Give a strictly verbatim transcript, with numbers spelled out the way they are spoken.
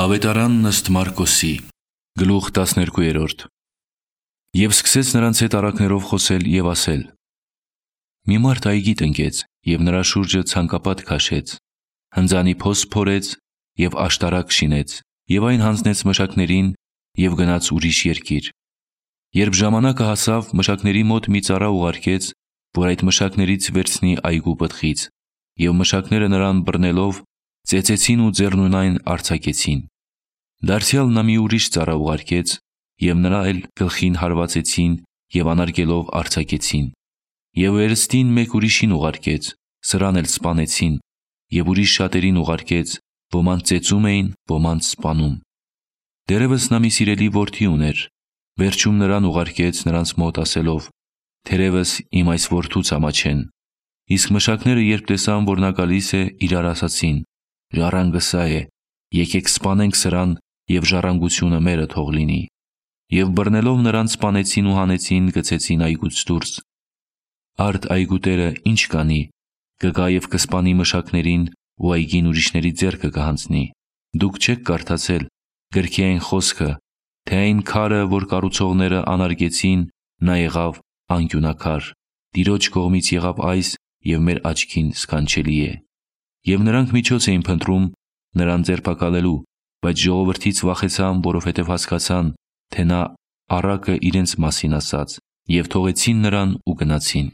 Ավետարանն ըստ Մարկոսի, գլուխ տասներկու։ Եվ սկսեց նրանց հետ առակներով խոսել և ասել. մի մարդ այգի տնկեց և նրա շուրջը ցանկապատ քաշեց, հնձանի փոս փորեց և աշտարակ շինեց և այն հանձնեց մշակներին և գնաց ուրիշ երկիր։ Երբ ժամանակը հասավ, մշակների մոտ մի ծառա ուղարկեց, որ այդ մշակներից վերցնի այգու պտղից, և մշակները նրան բռնելով ծեծեցին ու ձեռնունայն արձակեցին։ Դարձյալ նա մի ուրիշ ծառա ուղարկեց, և նրա էլ գլխին հարվածեցին և անարգելով արձակեցին։ Եվ վերստին մեկ ուրիշին ուղարկեց, սրան էլ սպանեցին, և ուրիշ շատերին ուղարկեց, ոմանց ծեծում էին, ոմանց սպանում։ Դեռևս նա մի սիրելի որդի ուներ, վերջում նրան ուղարկեց նրանց մոտ ասելով. թերևս իմ այս որդուց ամաչեն։ Իսկ մշակները, երբ տեսան, որ նա գալիս է, իրար ասացին. ժառանգը սա է, եկեք սպանենք սրան և ժառանգությունը մերը թող լինի։ Եվ բռնելով նրան սպանեցին ու հանեցին գցեցին այգուց դուրս։ Արդ այգու տերը ինչ կանի, կգա և կսպանի մշակներին ու այգին ուրիշների ձեռքը կհանձնի։ Դուք չեք կարդացել գրքի այն խոսքը, թե այն քարը, որ կառուցողները անարգեցին, նա եղավ անկյունաքար, Տիրոջ կողմից եղավ այս և մեր աչքին սքանչելի է։ Եվ նրանք միջոց էին փնտրում նրան ձերբակալելու, բայց ժողովրդից վախեցան, որովհետև հասկացան, թե նա առակը իրենց մասին ասաց, և թողեցին նրան ու գնացին։